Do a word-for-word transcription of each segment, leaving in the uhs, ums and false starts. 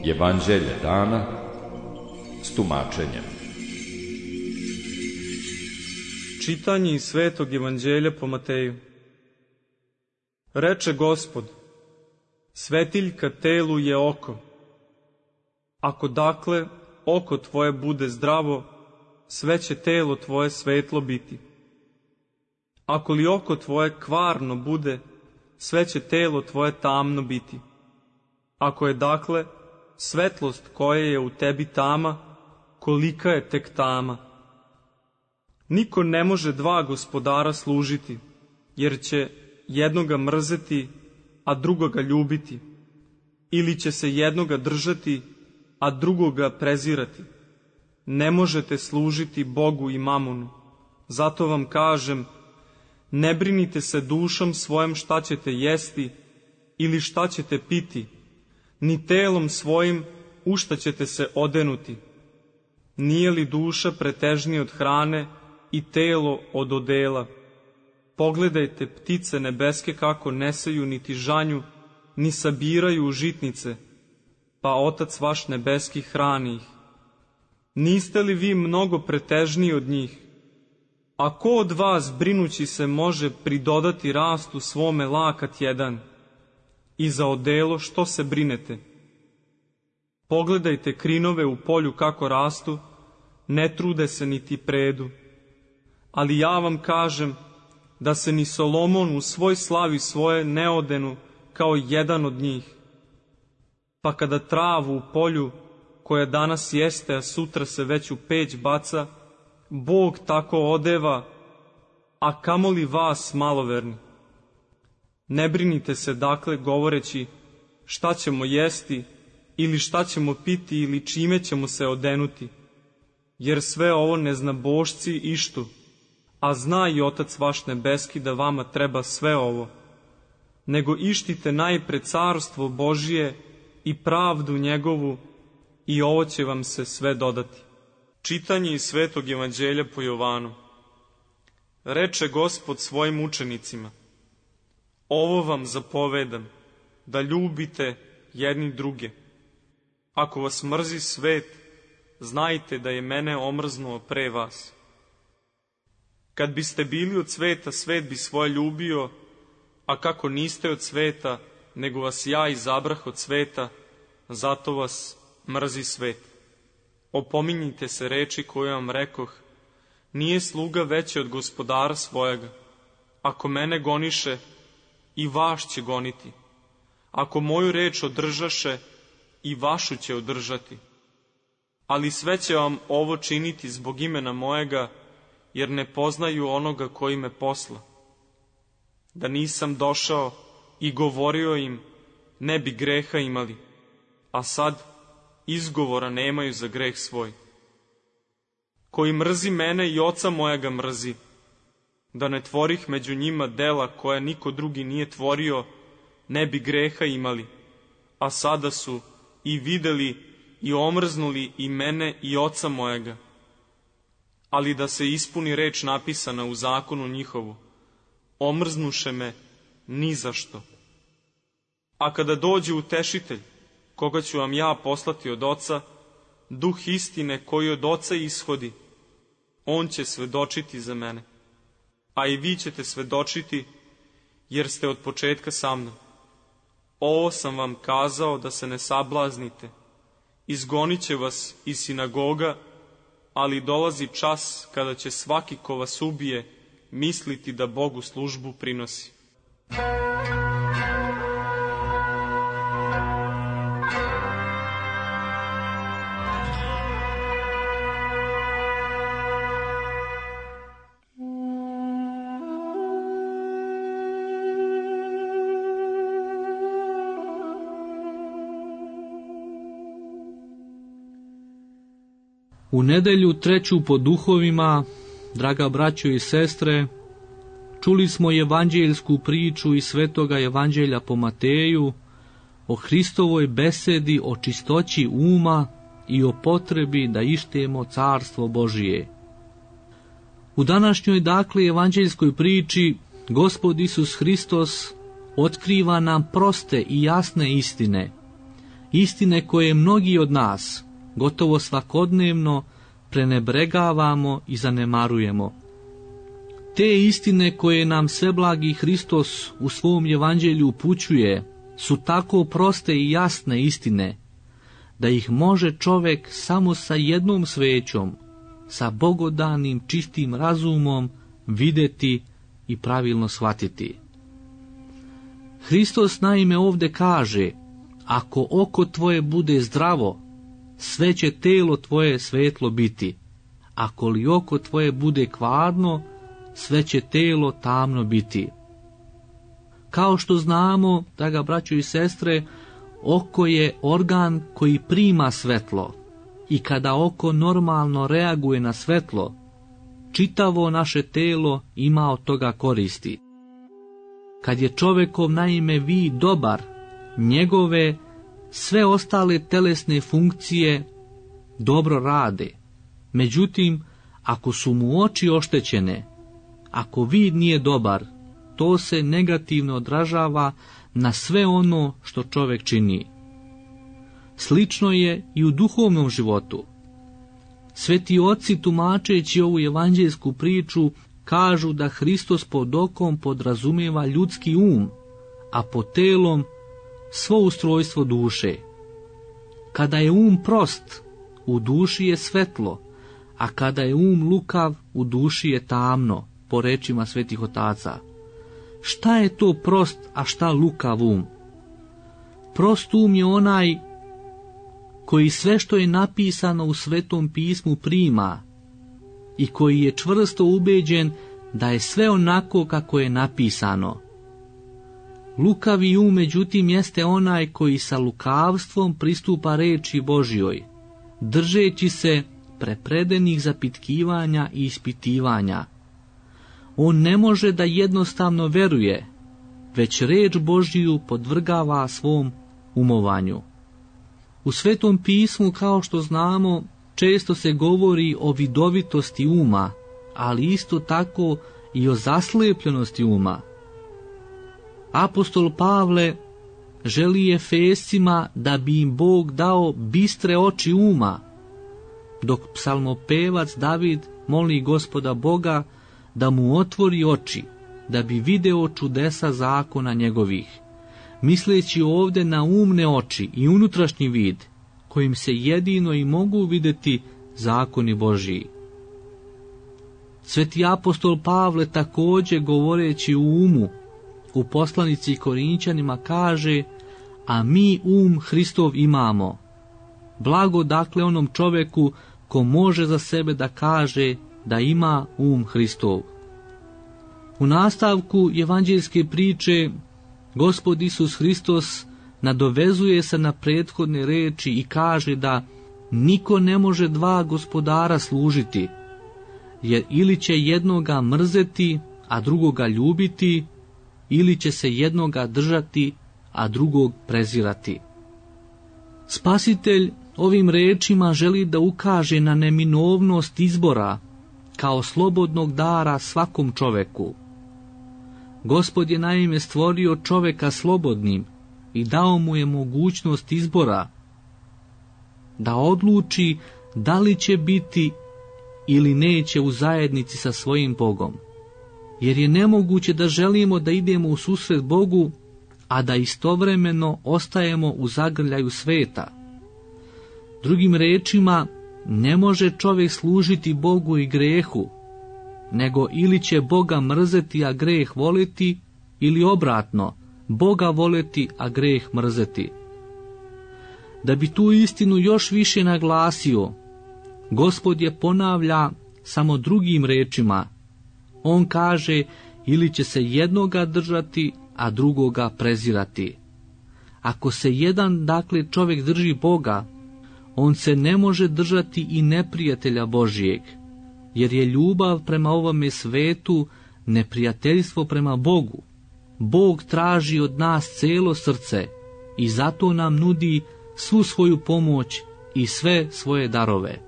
Evanđelje dana s tumačenjem. Čitanje iz Svetog Evanđelja po Mateju. Reče Gospod: svetiljka telu je oko. Ako dakle oko tvoje bude zdravo, sve će telo tvoje svetlo biti. Ako li oko tvoje kvarno bude, sve će telo tvoje tamno biti. Ako je dakle svetlost koja je u tebi tama, kolika je tek tama. Niko ne može dva gospodara služiti, jer će jednoga mrzeti, a drugoga ljubiti, ili će se jednoga držati, a drugoga prezirati. Ne možete služiti Bogu i mamonu. Zato vam kažem, ne brinite se dušom svojom šta ćete jesti ili šta ćete piti, ni telom svojim u šta ćete se odenuti. Nije li duša pretežnija od hrane i telo od odela? Pogledajte ptice nebeske kako ne seju niti žanju, ni sabiraju u žitnice, pa Otac vaš nebeski hrani ih. Niste li vi mnogo pretežniji od njih? A ko od vas, brinući se, može pridodati rastu svome lakat jedan? I za odelo što se brinete? Pogledajte krinove u polju kako rastu, ne trude se niti predu. Ali ja vam kažem da se ni Solomon u svoj slavi svoje ne odenu kao jedan od njih. Pa kada travu u polju, koja danas jeste, a sutra se već u peć baca, Bog tako odeva, a kamoli vas maloverni. Ne brinite se dakle govoreći šta ćemo jesti ili šta ćemo piti ili čime ćemo se odenuti, jer sve ovo neznabošci ištu, a zna i Otac vaš nebeski da vama treba sve ovo. Nego ištite najpre carstvo Božije i pravdu njegovu, i ovo će vam se sve dodati. Čitanje iz Svetog Evanđelja po Jovanu. Reče Gospod svojim učenicima: ovo vam zapovedam, da ljubite jedni druge. Ako vas mrzi svet, znajte da je mene omrznuo pre vas. Kad biste bili od sveta, svet bi svoje ljubio, a kako niste od sveta, nego vas ja izabrah od sveta, zato vas mrzi svet. Opominjite se reči koju vam rekoh, nije sluga veći od gospodara svojega. Ako mene goniše, i vaš će goniti. Ako moju reč održaše, i vašu će održati. Ali sve će vam ovo činiti zbog imena mojega, jer ne poznaju onoga koji me posla. Da nisam došao i govorio im, ne bi greha imali, a sad izgovora nemaju za greh svoj. Koji mrzi mene i oca mojega mrzi, da ne tvorih među njima dela koja niko drugi nije tvorio, ne bi greha imali, a sada su i videli i omrznuli i mene i oca mojega. Ali da se ispuni reč napisana u zakonu njihovu, omrznuše me ni zašto. A kada dođe utešitelj, koga ću vam ja poslati od Oca, duh istine koji od Oca ishodi, on će svedočiti za mene. A i vi ćete svedočiti, jer ste od početka sa mnom. Ovo sam vam kazao da se ne sablaznite. Izgonit će vas iz sinagoga, ali dolazi čas kada će svaki ko vas ubije misliti da Bogu službu prinosi. U nedelju treću po duhovima, draga braćo i sestre, čuli smo evanđeljsku priču iz Svetoga Evanđelja po Mateju o Hristovoj besedi o čistoći uma i o potrebi da ištemo carstvo Božije. U današnjoj dakle evanđeljskoj priči Gospod Isus Hristos otkriva nam proste i jasne istine, istine koje mnogi od nas gotovo svakodnevno prenebregavamo i zanemarujemo. Te istine koje nam sveblagi Hristos u svom evanđelju upućuje su tako proste i jasne istine da ih može čovjek samo sa jednom svećom, sa bogodanim čistim razumom vidjeti i pravilno shvatiti. Hristos naime ovdje kaže: ako oko tvoje bude zdravo, sve će telo tvoje svetlo biti. Ako li oko tvoje bude kvarno, sve će telo tamno biti. Kao što znamo, draga braćo i sestre, oko je organ koji prima svetlo i kada oko normalno reaguje na svetlo, čitavo naše telo ima od toga koristi. Kad je čovjekov naime vid dobar, njegove sve ostale telesne funkcije dobro rade. Međutim, ako su mu oči oštećene, ako vid nije dobar, to se negativno odražava na sve ono što čovjek čini. Slično je i u duhovnom životu. Sveti oci, tumačeći ovu evanđelsku priču, kažu da Hristos pod okom podrazumijeva ljudski um, a pod telom svo ustrojstvo duše. Kada je um prost, u duši je svetlo, a kada je um lukav, u duši je tamno, po rečima svetih otaca. Šta je to prost, a šta lukav um? Prost um je onaj koji sve što je napisano u Svetom pismu prima i koji je čvrsto ubeđen da je sve onako kako je napisano. Lukavi um, međutim, jeste onaj koji sa lukavstvom pristupa reči Božjoj, držeći se prepredenih zapitkivanja i ispitivanja. On ne može da jednostavno veruje, već reč Božju podvrgava svom umovanju. U Svetom pismu, kao što znamo, često se govori o vidovitosti uma, ali isto tako i o zaslepljenosti uma. Apostol Pavle želi Efescima da bi im Bog dao bistre oči uma, dok psalmopevac David moli Gospoda Boga da mu otvori oči, da bi video čudesa zakona njegovih, misleći ovdje na umne oči i unutrašnji vid, kojim se jedino i mogu vidjeti zakoni Božiji. Sveti apostol Pavle također, govoreći u umu, u poslanici Korinćanima kaže: a mi um Hristov imamo. Blago dakle onom čovjeku ko može za sebe da kaže da ima um Hristov. U nastavku evanđelske priče Gospod Isus Hristos nadovezuje se na prethodne reči i kaže da niko ne može dva gospodara služiti, jer ili će jednoga mrzeti, a drugoga ljubiti, ili će se jednoga držati, a drugog prezirati. Spasitelj ovim rečima želi da ukaže na neminovnost izbora kao slobodnog dara svakom čoveku. Gospod je naime stvorio čoveka slobodnim i dao mu je mogućnost izbora da odluči da li će biti ili neće u zajednici sa svojim Bogom. Jer je nemoguće da želimo da idemo u susret Bogu, a da istovremeno ostajemo u zagrljaju sveta. Drugim rečima, ne može čovjek služiti Bogu i grehu, nego ili će Boga mrzeti, a greh voliti, ili obratno, Boga voleti, a greh mrzeti. Da bi tu istinu još više naglasio, Gospod je ponavlja samo drugim rečima. On kaže, ili će se jednoga držati, a drugoga prezirati. Ako se jedan, dakle, čovjek drži Boga, on se ne može držati i neprijatelja Božijeg, jer je ljubav prema ovome svetu neprijateljstvo prema Bogu. Bog traži od nas celo srce i zato nam nudi svu svoju pomoć i sve svoje darove.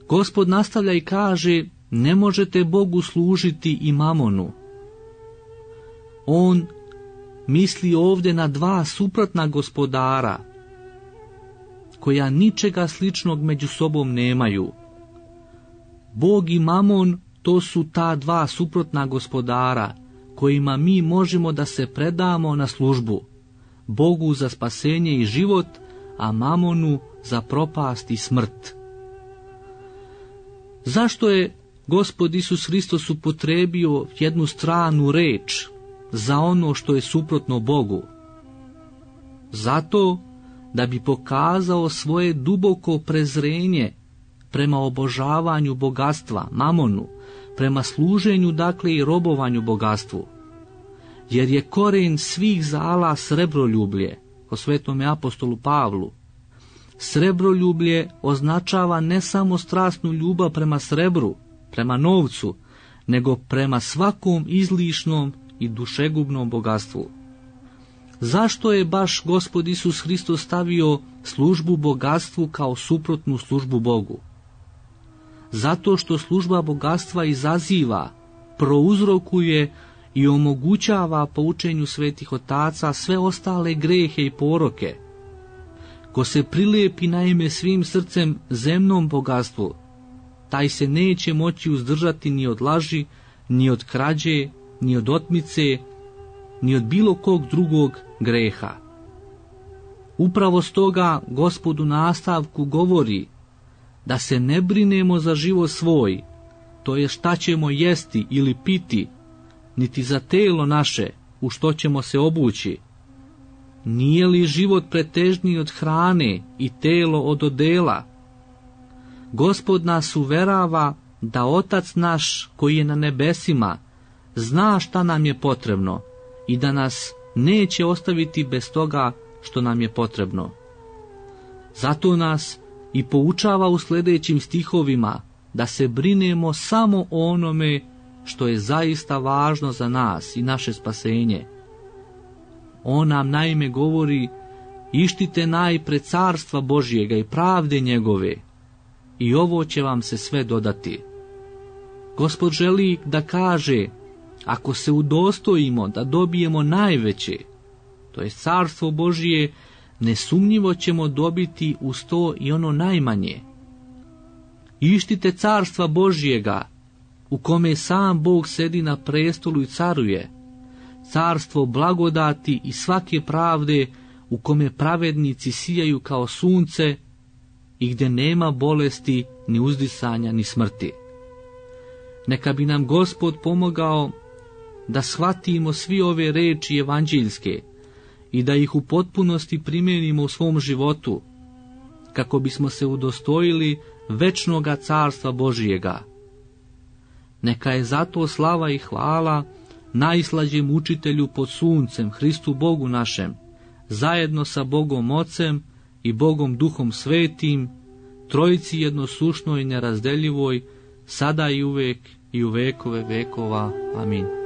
Gospod nastavlja i kaže: ne možete Bogu služiti i mamonu. On misli ovdje na dva suprotna gospodara, koja ničega sličnog među sobom nemaju. Bog i mamon, to su ta dva suprotna gospodara, kojima mi možemo da se predamo na službu. Bogu za spasenje i život, a mamonu za propast i smrt. Zašto je Gospod Isus Hristos upotrebio jednu stranu reč za ono što je suprotno Bogu? Zato da bi pokazao svoje duboko prezrenje prema obožavanju bogatstva, mamonu, prema služenju, dakle, i robovanju bogatstvu. Jer je koren svih zala srebroljublje, po svetome apostolu Pavlu. Srebroljublje označava ne samo strasnu ljubav prema srebru, prema novcu, nego prema svakom izlišnom i dušegubnom bogatstvu. Zašto je baš Gospod Isus Hristos stavio službu bogatstvu kao suprotnu službu Bogu? Zato što služba bogatstva izaziva, prouzrokuje i omogućava po učenju svetih otaca sve ostale grehe i poroke. Ko se prilepi naime svim srcem zemnom bogatstvu, taj se neće moći uzdržati ni od laži, ni od krađe, ni od otmice, ni od bilo kog drugog greha. Upravo stoga Gospod u nastavku govori da se ne brinemo za život svoj, to je šta ćemo jesti ili piti, niti za telo naše, u što ćemo se obući. Nije li život pretežniji od hrane i telo od odela? Gospod nas uverava da Otac naš koji je na nebesima zna šta nam je potrebno i da nas neće ostaviti bez toga što nam je potrebno. Zato nas i poučava u sljedećim stihovima da se brinemo samo o onome što je zaista važno za nas i naše spasenje. On nam naime govori: ištite najpre carstva Božjega i pravde njegove, i ovo će vam se sve dodati. Gospod želi da kaže, ako se udostojimo da dobijemo najveće, to je carstvo Božje, nesumnjivo ćemo dobiti uz to i ono najmanje. Ištite carstva Božjega, u kome sam Bog sedi na prestolu i caruje, carstvo blagodati i svake pravde, u kome pravednici sijaju kao sunce i gdje nema bolesti, ni uzdisanja, ni smrti. Neka bi nam Gospod pomogao da shvatimo svi ove reči evanđeljske i da ih u potpunosti primijenimo u svom životu, kako bismo se udostojili večnoga carstva Božijega. Neka je zato slava i hvala najslađem učitelju pod suncem, Hristu Bogu našem, zajedno sa Bogom Ocem i Bogom Duhom Svetim, trojici jednosušnoj i nerazdeljivoj, sada i uvek i u vekove vekova. Amin.